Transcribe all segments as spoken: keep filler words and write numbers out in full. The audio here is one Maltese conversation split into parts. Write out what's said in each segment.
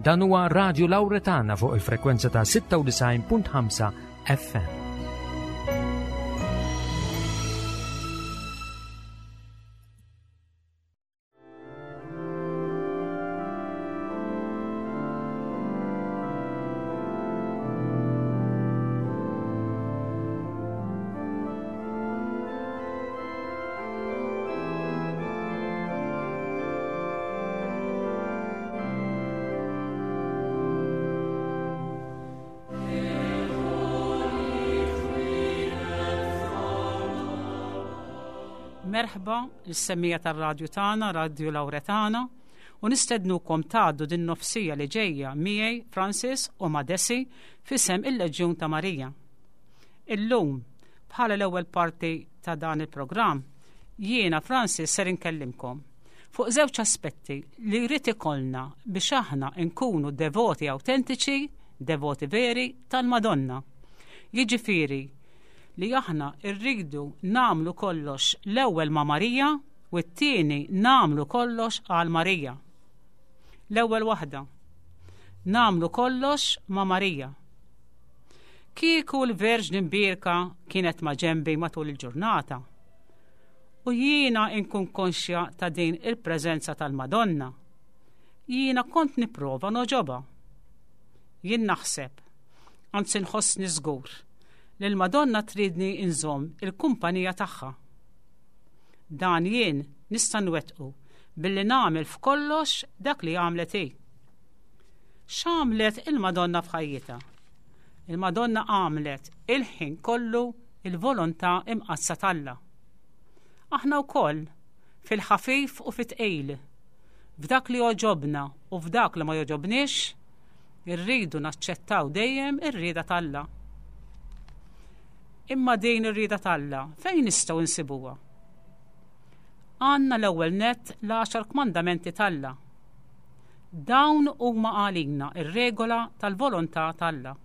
Dan huwa Radio Lauretana fuq il-frekwenza ta' sitta u disgħin punt ħamsa F M. Merħba lis-semmiegħa tar-radju tagħna, Radio Lauretana, u nistednukom tgħaddu din nofs siegħa li ġejja miegħi, Francis, u ma' Desi f'isem il-Leġjun ta' Marija. Illum, bħala l-ewwel parti ta' dan il-programm, jiena, Francis, ser inkellimkom fuq żewġ aspetti li jrid ikollna biex aħna nkunu devoti autentiċi, devoti veri tal-Madonna. Jiġifieri li aħna rridu nagħmlu kollox l-ewwel ma' Marija u t-tieni nagħmlu kollox għal Marija. L-ewwel waħda. Nagħmlu kollox ma' Marija. Kieku l-Verġni Mbierka kienet ma' ġembi matul il-ġurnata. U jiena nkun konxja ta' din il-preżenza tal-Madonna. Jiena kont nipprova nogħġobha. Jien naħseb, anzi nħossni żgur, li l-Madonna tridni nżomm il-kumpanija tagħha. Dan jien nista' nwettqu billi nagħmel f'kollox dak li għamlet hi. X'għamlet il-Madonna f'ħajjitha? Il-Madonna għamlet il-ħin kollu il-volontà imqaddsa t'Alla. Aħna wkoll fil-ħafif u fit-tqil, f'dak li jogħġobna u f'dak li ma jogħġobniex, irridu naċċettaw dejjem ir-rieda t'Alla. Imma din ir-rieda t'Alla fejn nistgħu nsibuha? Għandna l-ewwel net l-għaxar kmandamenti t'Alla. Dawn huma għalina ir-regola tal-volontà t'Alla.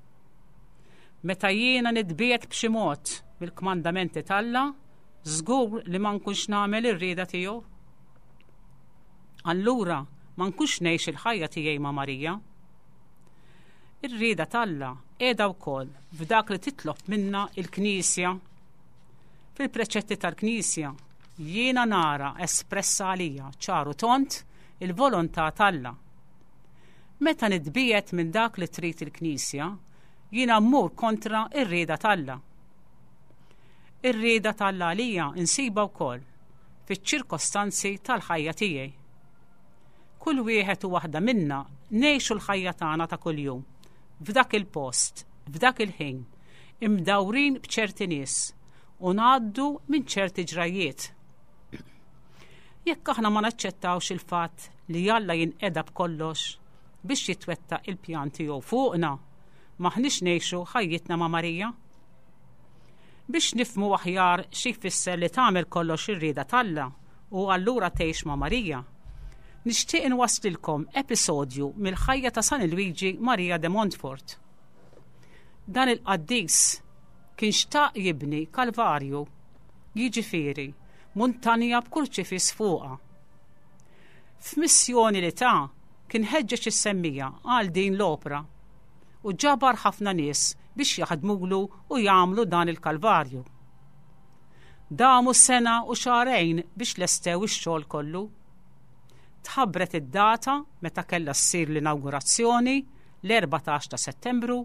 Meta jiena nitbiegħed b'xi mod mill-kmandamenti t'Alla, żgur li ma nkunx nagħmel ir-rieda tiegħu. Allura ma nkunx ngħix il-ħajja tiegħi ma' Marija. Ir-rieda t'Alla qiegħda wkoll f'dak li titlob minna il-Knisja. Fil-preċetti tal-Knisja jiena nara espressa għalija ċar u tond il-volontà t'Alla. Meta nitbiegħed minn dak li trid il-Knisja, jiena mmur kontra ir-rieda t'Alla. Ir-rieda t'Alla għalija insiba wkoll fiċ-ċirkostanzi tal-ħajja tiegħi. Kull wieħed u waħda minna ngħixu l-ħajja tagħna ta' kuljum f'dak il-post, f'dak il-ħin, imdawrin b'ċerti nies u ngħaddu minn ċerti ġrajiet. Jekk aħna ma naċċettawx il-fatt li Alla jinqeda b'kollox biex jitwettaq il-pjan tiegħu fuqna, m'aħniex ngħixu ħajjitna ma' Marija. Biex nifhmu aħjar xi jfisser li tagħmel kollox ir-rieda t'Alla u allura tgħix ma' Marija, nixtieq inwaslilkom episodju mill-ħajja ta' San Luigi Maria de Montfort. Dan il-qaddis kien xtaq jibni kalvarju, jiġifieri muntanja b'kurċifiss fuqha. F'missjoni li ta kien ħeġġeġ is-semmiegħa għal din l-opra u ġabar ħafna nies biex jaħdmulu u jagħmlu dan il-kalvarju. Damu sena u xahrejn biex lestew ix-xogħol kollu. Tħabbret id-data meta kellha ssir l-inaugurazzjoni, l-erbatax ta' Settembru,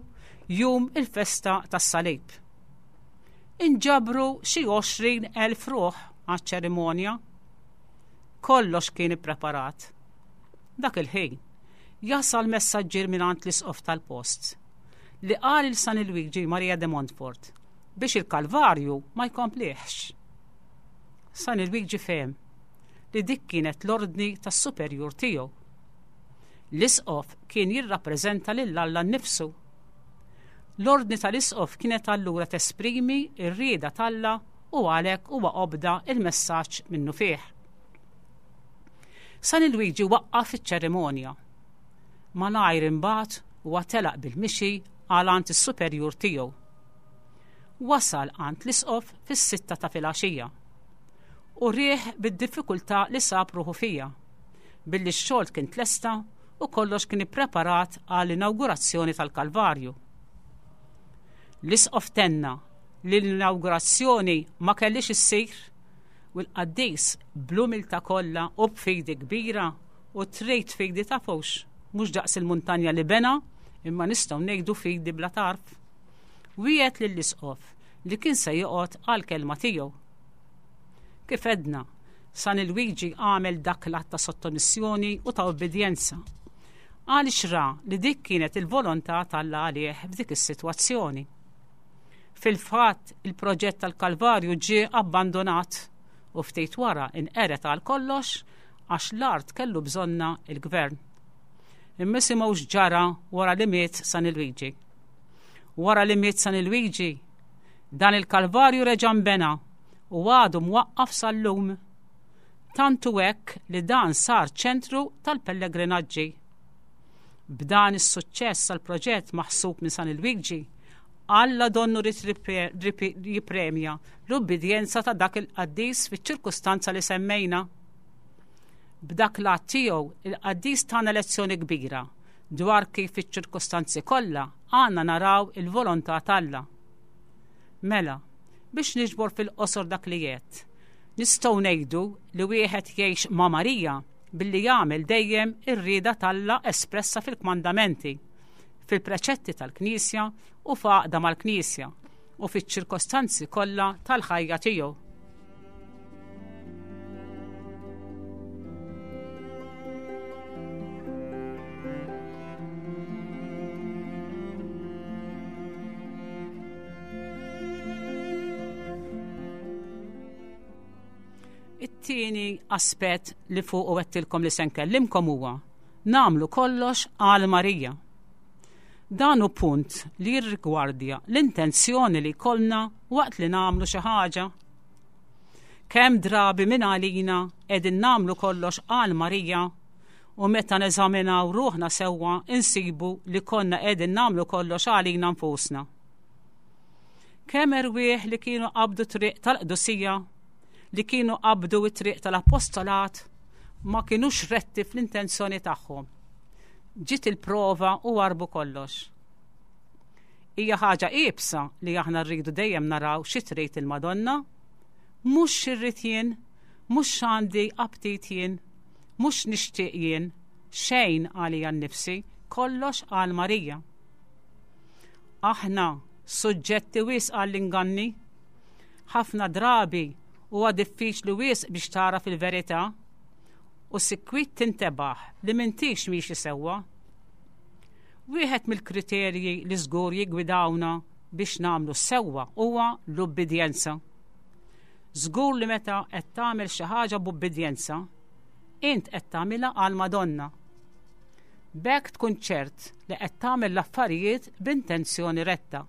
jum il-festa tas-Salib. Inġabru xi għoxrin elf ruħ għaċ-ċerimonja. Kollox kien ippreparat. Dak il-ħin jasal messaġġier mingħand l-isqof tal-post li qal lil San Luigi Maria de Montfort biex il-Kalvarju ma jkomplihx. San Luigi fehem li dik kienet l-ordni tas-superjur tiegħu. L-isqof kien jirrappreżenta lil Alla nnifsu. L-ordni tal-isqof kienet allura tesprimi r-rieda t'Alla u għalhekk huwa obda il-messaġġ minnufih. San Luigi waqqaf iċ-ċerimonja. Malajr imbagħad huwa telaq bil-mixi għal għand is-superjur tiegħu. Wasal għand l-isqof fis-sitta ta' filgħaxija u wrieh bid-diffikultà li sab ruħu fija, billi x-xogħol kien tlesta u kollox kien ippreparat għall-inawgurazzjoni tal-Kalvarju. L-isqof tenna li l-inawgurazzjoni ma kellix issir u l-qaddis bl-umiltà kollha u b'fidi kbira u trid fidi tafux, mhux daqs il-muntanja li bena, imma nistgħu ngħidu fidi bla tarf. Wiegħed lill-isqof li kien se joqgħod għall-kelma tiegħu. Kif għedna, San Lwiġi għamel dak l-att ta' sottomissjoni u ta' obbedjenza. Għaliex ra li dik kienet il-volontà t'Alla għalih f'dik is-sitwazzjoni. Fil-fatt, il-proġett tal-Kalvarju ġie abbandonat u ftit wara inqered għal kollox għax l-art kellu bżonna il-gvern. Imma isimgħu x'ġara wara li miet San Lwiġi. Wara li miet San Lwiġi, dan il-Kalvarju reġa' nbena u għadu mwaqqaf sal-lum. Tant hu hekk li dan sar ċentru tal-pellegrinaġġi. B'dan is-suċċess tal-proġett maħsub minn San Lwiġi, Alla donnu ried jippremja l-ubbidjenza ta' dak il-qaddis fiċ-ċirkustanza li semmejna. B'dak l-att tiegħu il-qaddis tana lezzjoni kbira dwar kif fiċ-ċirkustanzi kollha għandna naraw il-volontà t'Alla. Mela, biex niġbor fil-qosor dak li għedt, nistgħu ngħidu li wieħed jgħix ma' Marija billi jagħmel dejjem ir-rieda t'Alla espressa fil-kmandamenti, fil-preċetti tal-Knisja u f'għaqda mal-Knisja u fiċ-ċirkostanzi kollha tal-ħajja tiegħu. It-tieni aspett li fuq u għedtilkom li se nkellimkom huwa nagħmlu kollox għal Marija. Dan hu punt li jirrigwardja l-intenzjoni li jkollna waqt li nagħmlu xi ħaġa. Kemm drabi minn għalina qegħdin nagħmlu kollox għal Marija u meta neżaminaw ruħna sewwa insibu li konna qegħdin nagħmlu kollox għalina nfusna. Kemm erwieħ li kienu qabdu triq tal-qdusija, li kienu qabdu t-triq tal-apostolat, ma kinux retti fl-intenzjoni tagħhom. Ġiet il-prova u warbu kollox. Hija ħaġa iebsa li aħna rridu dejjem naraw xi trid il-Madonna, mhux x'irrid jien, mhux x'għandi aptit jien, mhux nixtieq jien, xejn għalija nnifsi, kollox għal Marija. Aħna suġġetti wisq għall-inganni. Ħafna drabi huwa diffiċli wisq biex tara fil-verità u sikwit tintebaħ li m'intix miexi sewwa. Wieħed mill-kriterji li żgur jiggwidawna biex nagħmlu sewwa huwa l-ubbidjenza. Żgur li meta qed tagħmel xi ħaġa b'ubbidjenza, int qed tagħmilha għal Madonna. B'hekk tkun ċert li qed tagħmel l-affarijiet b'intenzjoni retta.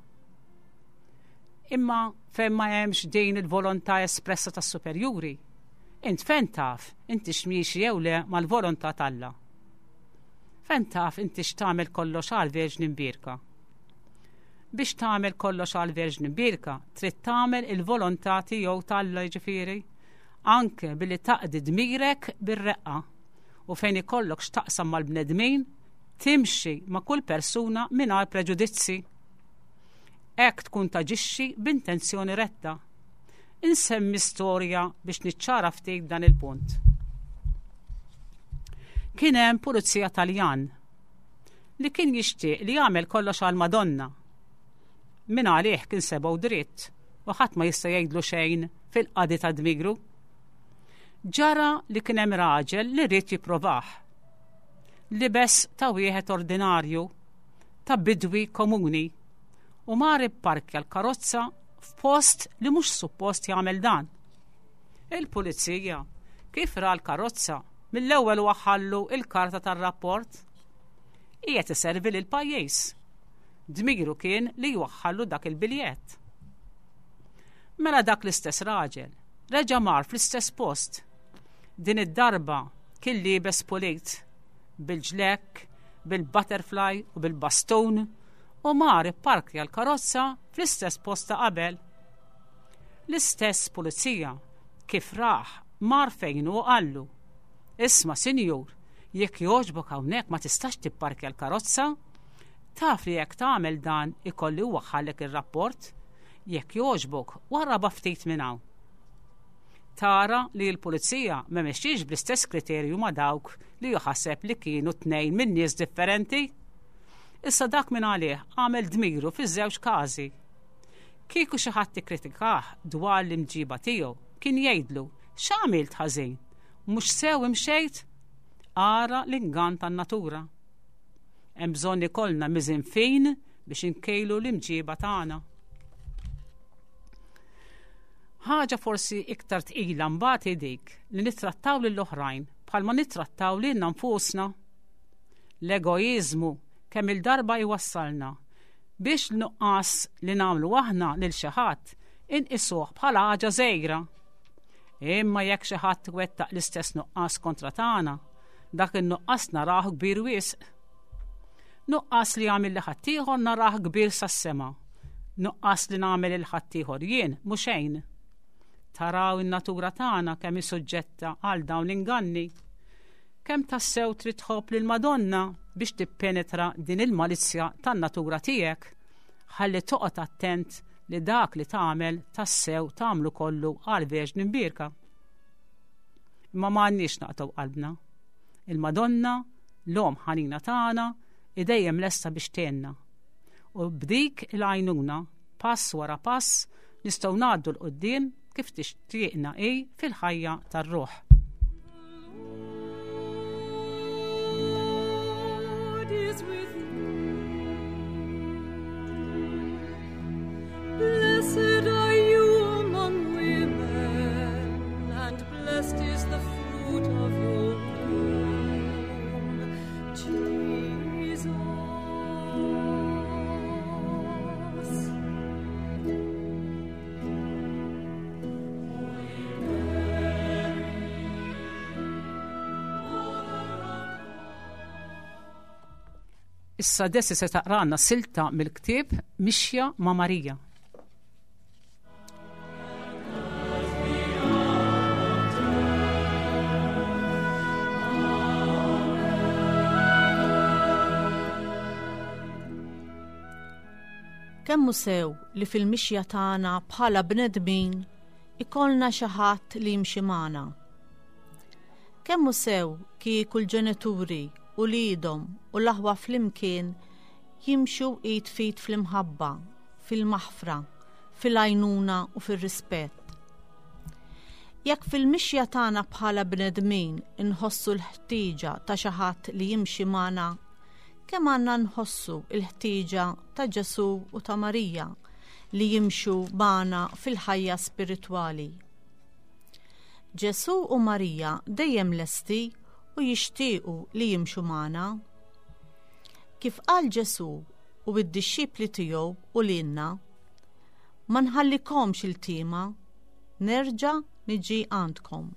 Imma fejn ma hemmx din il-volontà espressa tas-superjuri, int fejn taf inti x'miexi jew le mal-volontà t'Alla? Fejn taf inti x'tagħmel kollox għal Verġni Mbierka? Biex tagħmel kollox għal Verġni Mbierka, trid tagħmel il-volontà tiegħu t'Alla, jiġifieri, anke billi taqdi dmirek bir-reqqa u fejn ikollok x'taqsam mal-bnedmin, timxi ma' kull persuna mingħajr preġudizzi. Hekk tkun taġixxi b'intenzjoni retta. Insemmi storja biex niċċara ftit dan il-punt. Kien hemm pulizija Taljan li kien jixtieq li jagħmel kollox għal Madonna. Min għalih kien sebgħu dritt u ħadd ma jista' jgħidlu xejn fil-qadi ta' dmigru. Ġara li kien hemm raġel li ried jipprovah. Libes ta' wieħed ordinarju, ta' bidwi komuni, u mar ipparkja l-karozza f'post li mhux suppost jagħmel dan. Il-pulizija kif ra l-karozza mill-ewwel waħħallu il-karta tar-rapport. Qiegħed iservi lil pajjiż. Dmiru kien li jwaħħallu dak il-biljett. Mela dak l-istess raġel reġa' mar fl-istess post. Din id-darba kien liebes pulit, bil-ġlekk, bil-butterfly u bil-bastun, u mar ipparkja l-karozza fl-istess post ta' qabel. L-istess pulizija kif raħ mar fejn u qallu: Isma' sinjur, Jekk jogħġbok hawnhekk ma tistax tipparkja l-karozza. Taf li jekk tagħmel dan ikolli waħħalek ir-rapport. Jekk jogħġbok warraba ftit minn hawn. Tara li l-pulizija ma mexxiex bl-istess kriterju ma' dawk li juħaseb li kienu tnejn minn nies differenti. Issa dak minn għalih għamel dmiru fiż-żewġ każi. Kieku xi ħadd ikkritikah dwar l-imġiba tiegħu, kien jgħidlu x'għamilt ħażin, mhux sew imxejt? Ara l-ingann tan-natura. Hemm bżonn ikollna miżin fin biex inkejlu l-imġiba tagħna. Ħaġa forsi iktar tqila mbagħad hi dik li nittrattaw lill-oħrajn bħalma nittrattaw lilna nfusna. L-egoiżmu kemm il-darba jwassalna biex l-nuqqas li nagħmlu aħna lil xi ħadd inqisuh bħala ħaġa żgħira. Imma jekk xi ħadd wettaq l-istess nuqqas kontra tagħna, dak in-nuqqas narah kbir wisq. Nuqqas li għamil li ħaddieħor narah kbir sas-sema. Nuqqas li nagħmel il ħaddieħor jien mhu xejn. Taraw in-natura tagħna kemm hi suġġetta għal dawn l-inganni. Kemm tassew trid tħobb lil Madonna biex tippenetra din il-malizzja tan-natura tiegħek, ħalli toqgħod attent li dak li tagħmel tassew tagħmlu kollu għal Verġni Mbierka. Imma ma għandniex naqtgħu qalbna. Il-Madonna, l-Omm ħanina tagħna, hi dejjem lesta biex tgħinna. U b'dik il-għajnuna, pass wara pass, nistgħu ngħaddu 'l quddiem kif tixtieqna hi fil-ħajja tar-ruħ. Lord is with you. Blessed are you among women, and blessed is the fruit of your womb, Jesus. Holy Mary, Mother of Issa Desi se taqrana silta mill-ktieb Mixja ma' Marija. Kemm hu sew li fil-mixja tagħna bħala bnedmin ikollna xi ħadd li jimxi magħna. Kemm hu sew kieku l-ġenituri u wliedhom u l-aħwa flimkien jimxu id f'id fl-imħabba, fil-maħfra, fil-għajnuna u fir-rispett. Jekk fil-mixja tagħna bħala bnedmin inħossu l-ħtieġa ta' xi ħadd li jimxi magħna, kemm għandna nħossu l-ħtieġa ta' Ġesù u ta' Marija li jimxu magħna fil-ħajja spiritwali. Ġesù u Marija dejjem lesti u jixtiequ li jimxu magħna. Kif qal Ġesù u d-dixxipli tiegħu u lilna, ma nħallikomx il-tima, nerġa' niġi għandkom.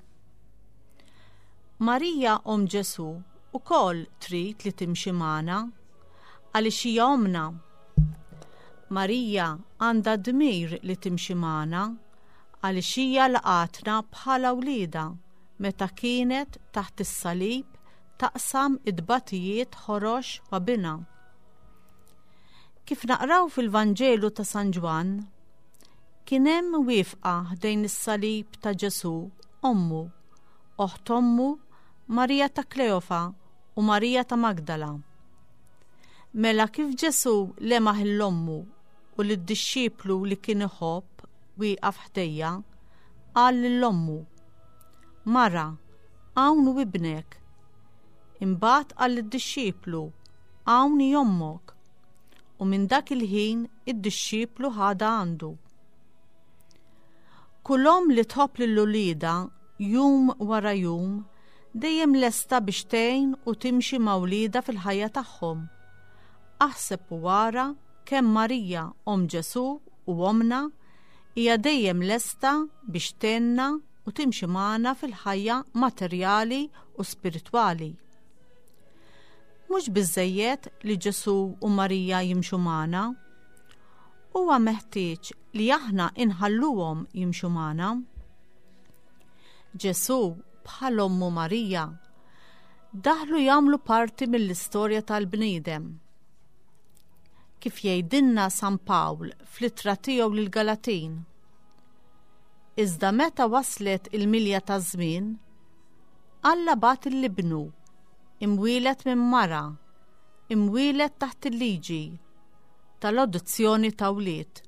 Marija omm Ġesù ukoll trid li timxi magħna għaliex hija ommna. Marija għandha dmir li timxi magħna għaliex hija laqatna bħala wliedha meta kienet taħt is-salib taqsam id-batijiet ħorox ma' binha. Kif naqraw fil-Vanġelu ta' San Ġwann, kien hemm wieqfa ħdejn is-salib ta' Ġesù ommu, oħt ommu Marija ta' Kleofa u Marija ta' Magdala. Mela kif Ġesù lemaħ l-ommu u lid-dixxiplu li kien iħobb wieqaf ħdejja, qal lill-ommu, Mara, hawn hu ibnek. Imbagħad qal lid-dixxiplu, Hawn hi ommok. U minn dak il-ħin id-dixxiplu ħadha għandu. Kull omm li tħobb lil uliedha jum wara jum dejjem lesta biex tgħin u timxi ma' wliedha fil-ħajja tagħhom. Aħseb u wara kemm Marija omm Ġesù u ommna hija dejjem lesta biex tgħinna u timxi magħna fil-ħajja materjali u spiritwali. Mhux biżżejjed li Ġesù u Marija jimxu magħna, huwa meħtieġ li aħna inħalluhom jimxu magħna. Ġesù bħal ommu Marija daħlu jagħmlu parti mill-istorja tal-bniedem. Kif jgħidilna San Pawl fl-ittra tiegħu lill-Galatin. Iżda meta waslet il-milja taż-żmien, Alla bagħat lil Ibnu, imwieled minn mara, imwieled taħt il-liġi, tal-adozzjoni ta' wlied.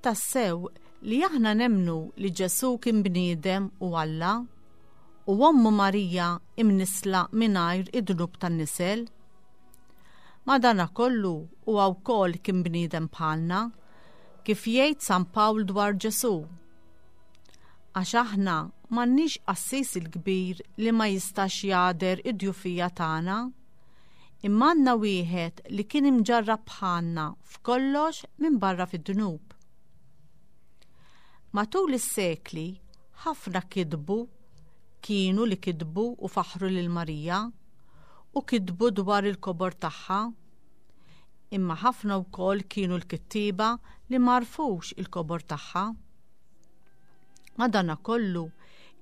Tassew li aħna nemmnu li Ġesù kien bniedem u Alla, u ommu Marija imnissla mingħajr id-dnub tan-nisel. Madanakollu huwa wkoll kien bniedem bħalna, kif jgħid San Pawl dwar Ġesù. Għax aħna m'għandniex qassis il-kbir li ma jistax jagħder id-djufija tagħna, imma għandna wieħed li kien imġarrab bħalna f'kollox minbarra fid-dnub. Matul is-sekli ħafna kitbu kienu li kitbu u faħru lil Marija u kitbu dwar il-kobor tagħha. Imma ħafna wkoll kienu l-kittieba li m'għarfux il-kobor tagħha. Madanakollu,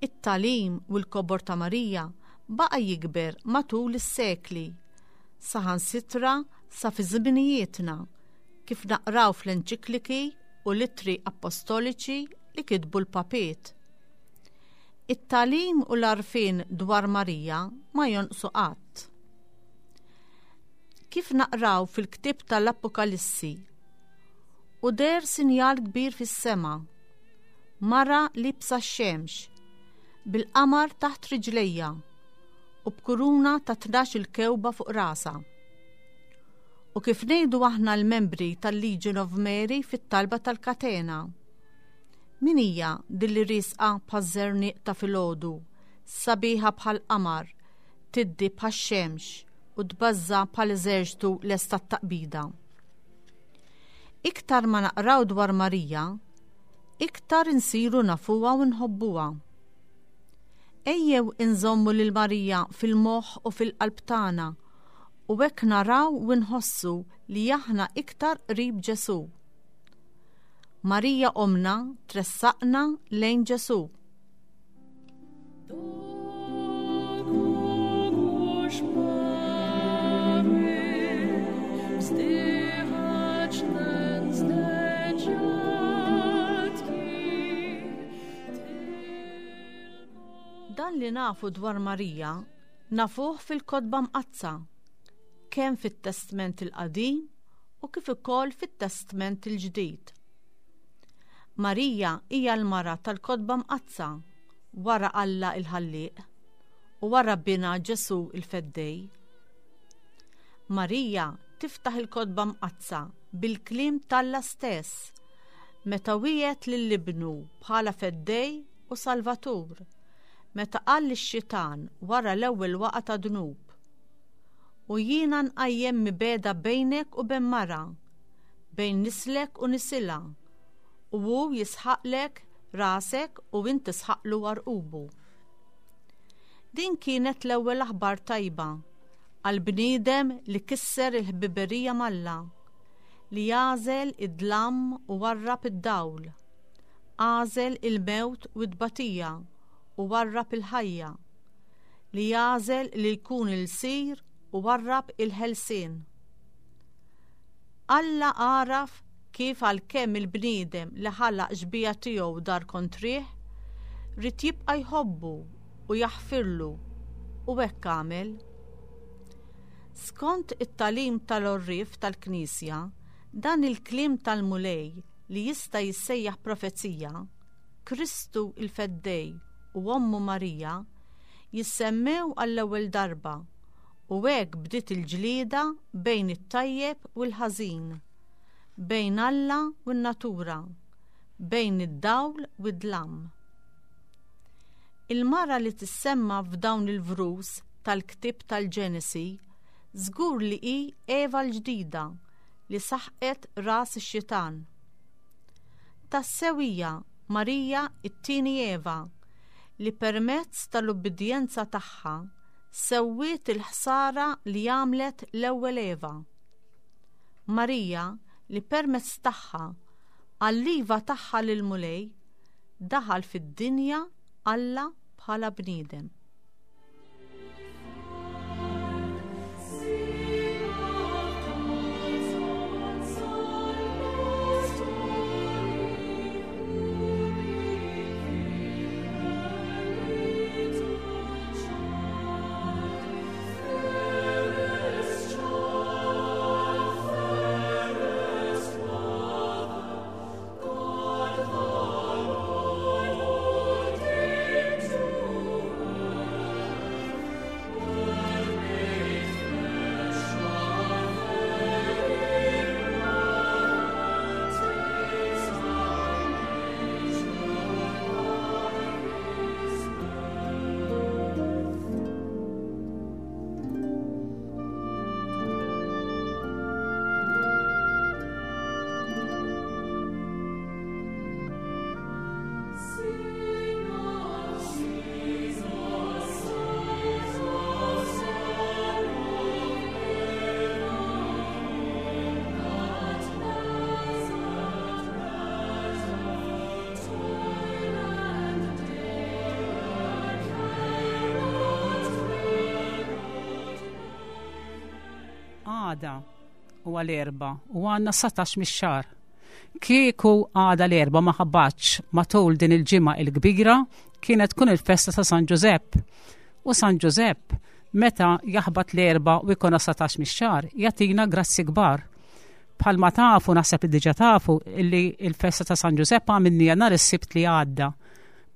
it-tagħlim u l-kobor ta' Marija baqa' jikber matul is-sekli, saħansitra sa fi żminijietna, kif naqraw fl-enċikliki u l-ittri apostoliċi li kitbu l-papiet. It-tagħlim u l-għarfien dwar Marija ma jonqsu qatt. Kif naqraw fil-ktieb tal-Apokalissi, u deher sinjal kbir fis-sema, mara liebsa x-xemx, bil-qamar taħt riġlejha u b'kuruna ta' tnax il-kewba fuq rasha. U kif ngħidu aħna l-membri tal-Legion of Mary fit-talba tal-Katena. Min hija din li riesqa bħaż-żerniq ta' filgħodu, sabiħa bħal qamar, tiddi bħax-xemx u tbażża bħal eżerċtu lesta taqbida. Iktar ma naqraw dwar Marija, iktar insiru nafuha u nħobbuha. Ejjew inżommu lil Marija fil-moħħ u fil-qalb tagħna u hekk naraw u nħossu li aħna iktar qrib Ġesù. Marija omna tressaqna lejn Ġesù. Do kogoś mamy wzdychać nędzne dziadki, Dan li nafu dwar Marija nafuh fil-Kotba Mqaddsa, kemm fit-Testment il-Qadim u kif ukoll fit-Testment il-Ġdid. Marija hija l-mara tal-Kotba Mqaddsa wara Alla il-Ħallieq u wara Binha Ġesù il-Feddej. Marija tiftaħ il-Kotba Mqaddsa bil-kliem t'Alla stess meta wiegħed lil Ibnu bħala Feddej u Salvatur, meta qal lix-xitan wara l-ewwel waqgħa ta' dnub. U jiena nqajjem mibegħda bejnek u bejn mara, bejn nislek u nisilha, u hu jisħaqlek rasek u int tisħaqlu għarqubu. Din kienet l-ewwel aħbar tajba għal bniedem li kisser il-ħbiberija m'Alla, li għażel id-dlam u warrab id-dawl, għażel il-mewt u t-tbatija u warrab il-ħajja, li għażel li jkun ilsir u warrab il-ħelsien. Alla għaraf kif għalkemm il-bniedem li ħalaq xbieha tiegħu dar kontrih, ried jibqa' jħobbu u jaħfirlu, u hekk għamel. Skont it-tagħlim tal-għorrief tal-Knisja, dan il-kliem tal-Mulej li jista' jissejjaħ profezija, Kristu il-Feddej u ommu Marija jissemmew għall-ewwel darba, u hekk bdiet il-ġlieda bejn it-tajjeb u l-ħażin, bejn Alla u n-natura, bejn id-dawl u d-dlam. Il-mara li tissemma f'dawn il-vrus tal-ktieb tal-Ġenesi żgur li hi Eva l-ġdida li saħqet ras ix-xitan. Tassew hija Marija it-tieni Eva li permezz tal-ubbidjenza tagħha sewwiet il-ħsara li għamlet l-ewwel Eva. Marija li permezz tagħha għall-iva tagħha lil Mulej daħal fid-dinja Alla bħala bniedem. Għada huwa l-Erbgħa u għandna satax mix-xahar. Kieku għada l-Erbgħa ma ħabbatx matul din il-ġimgħa il-kbira kienet tkun il-festa ta' San Ġużepp. U San Ġużepp meta jaħbat l-Erbgħa u jkun satax mix-xahar jagħtina grazzi kbar. Bħalma tafu, naħseb li diġà tafu, illi il-festa ta' San Ġużepp għamilniha nhar is-Sibt li għadda.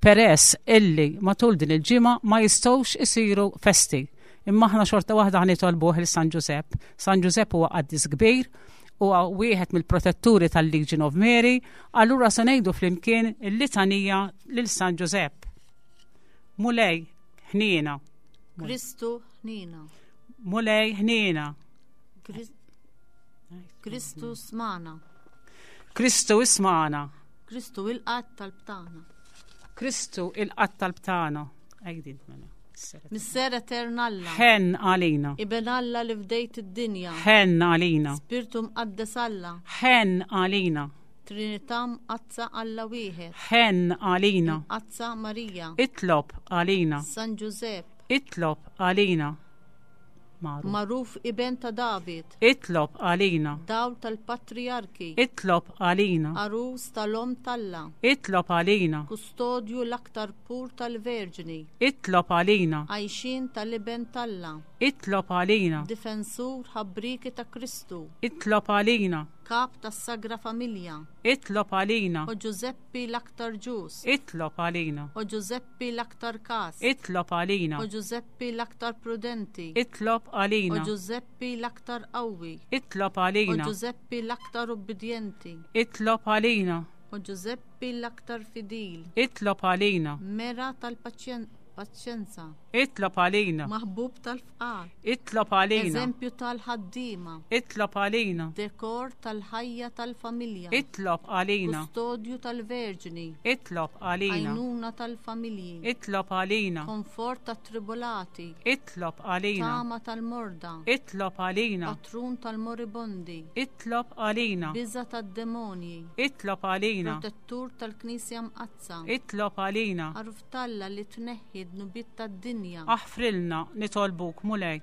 Peress illi matul din il-ġimgħa ma jistgħux isiru festi. Imma aħna xorta waħda ħanitolbuh lil San Ġużepp. San Ġużepp huwa qaddis kbir, huwa wieħed mill-protetturi tal-Legion of Mary, allura se ngħidu flimkien il-litanija lil San Ġużepp. Mulej, ħniena. Kristu ħniena. Mulej, ħniena. Kristu smana. Kristu ismana. Kristu il-qatt tal-btana. Kristu il-qatt tal-btana. Għajdin mela. Misser etern Alla. Ħenn għalina. Iben Alla li fdejt id-dinja. Ħenn għalina. Spirtu mqaddes Alla. Ħenn għalina. Trinità mqaddsa Alla wieħed. Ħenn għalina. Mqaddsa Marija. Itlob għalina. San Ġużepp. Itlob għalina. Magħruf. Magħruf iben ta' David. Itlob għalina. Dawl tal-patriarki. Itlob għalina. Arus tal-om talla. Itlob għalina. Kustodju l-aktar pur tal-Verġni. Itlob għalina. Għajxin tal-iben talla. Itlob għalina. Difensur ħabriki ta' Kristu. Itlob għalina. Kap tas-Sagra Familja. Itlob għalina. O Ġużeppi l-aktar ġus. Itlob għalina. O Ġużeppi l-aktar kas. Itlob għalina. O Ġużeppi l-aktar prudenti. Itlob għalina. O Ġużeppi l-aktar qawwi. Itlob għalina. O Ġużeppi l-aktar ubbidjenti. Itlob għalina. O Ġużeppi l-aktar fidil. Itlob għalina. Mera tal-paċjenza. Paċenza. Itlob għalina. Maħbub tal-fqar. Itlob għalina. Eżempju tal-ħaddiema. Itlob għalina. Dekor tal-ħajja tal-familja. Itlob għalina. Kustodju tal-Verġni. Itlob għalina. Għajnuna tal-familji. Itlob għalina. Komfort tat-tribulati. Itlob għalina. Tama tal-morda. Itlob għalina. Patrun tal-moribondi. Itlob għalina. Biża tad-demonji. Itlob għalina. Protettur tal-Knisja Mqaddsa. Itlob għalina. Għaruf talla li tneħħi dnubiet tad-dinja. Aħfrilna nitolbuk Mulej.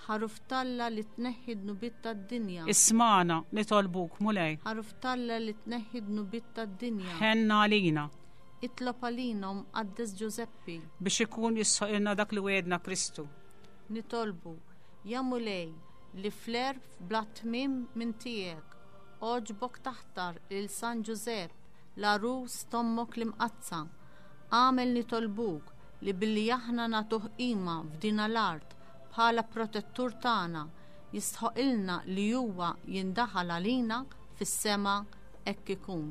Ħaruf talla li tneħħi dnubiet tad-dinja. Ismana nitolbuk Mulej. Ħaruf talla li tneħħi dnubiet tad-dinja. Ħenna għalina. Itlob għalina Mqaddes Ġużeppi. Biex ikun jissoqilna dak li wegħedna Kristu. Nitolbu, ja Mulej, li fl-għerf bla tmiem minn tiegħek, għoġbok taħtar lil San Ġużepp, l-għarus t'ommok l-imqaddsa. Għamel nitolbuk li billi aħna nagħtuh qima f'din l-art bħala protettur tagħna jistħoqilna li huwa jindaħal għalina fis-sema hekk ikun.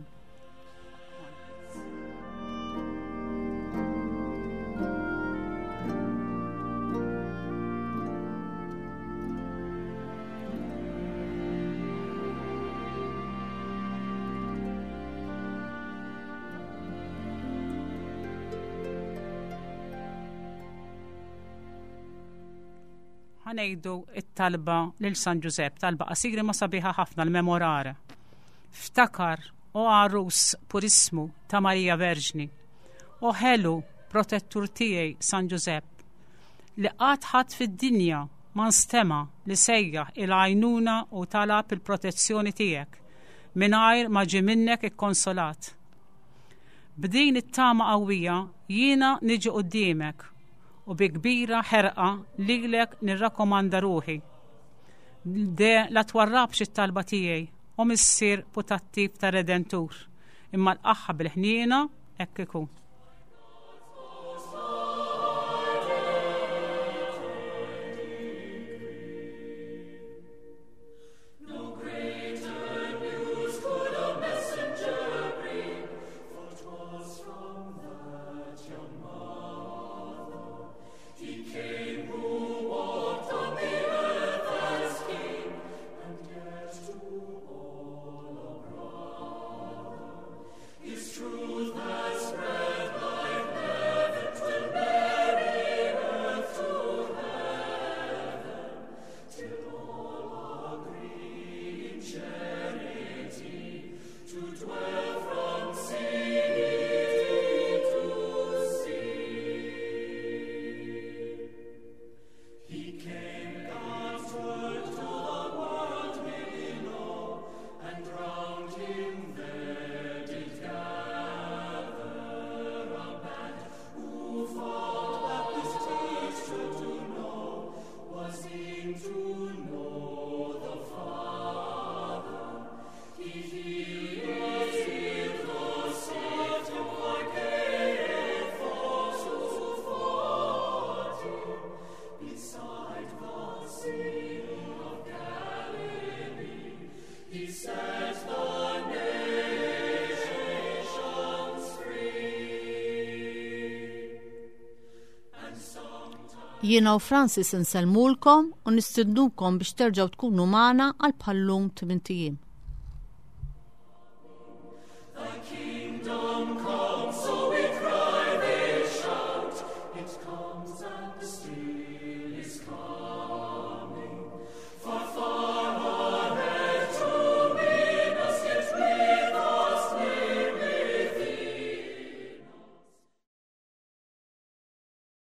Ħanejdu it-talba lil San Ġużepp, talba qasira ma sabiħa ħafna l-memorare. Ftakar, o għarus purismu ta' Marija Verġni, o ħelu protettur tiegħi San Ġużepp, li qatt ħadd fid-dinja ma nstema' li sejjaħ il-għajnuna u talab il-protezzjoni tiegħek mingħajr ma ġie minnek ikkonsolat. B'din it-tama qawwija jiena niġi quddiemek u bi kbira ħerqa lilek nirrakkomanda ruħi. De la twarrabx it-talba tiegħi, o missier putattiv ta' Redentur, imma l-qaħħa bil-ħniena hekk ikun. His truth has spread Jiena u Francis insellmulkom u nistednukom biex terġgħu tkunu magħna għal bħal-lum tmint ijiem. Thy kingdom come.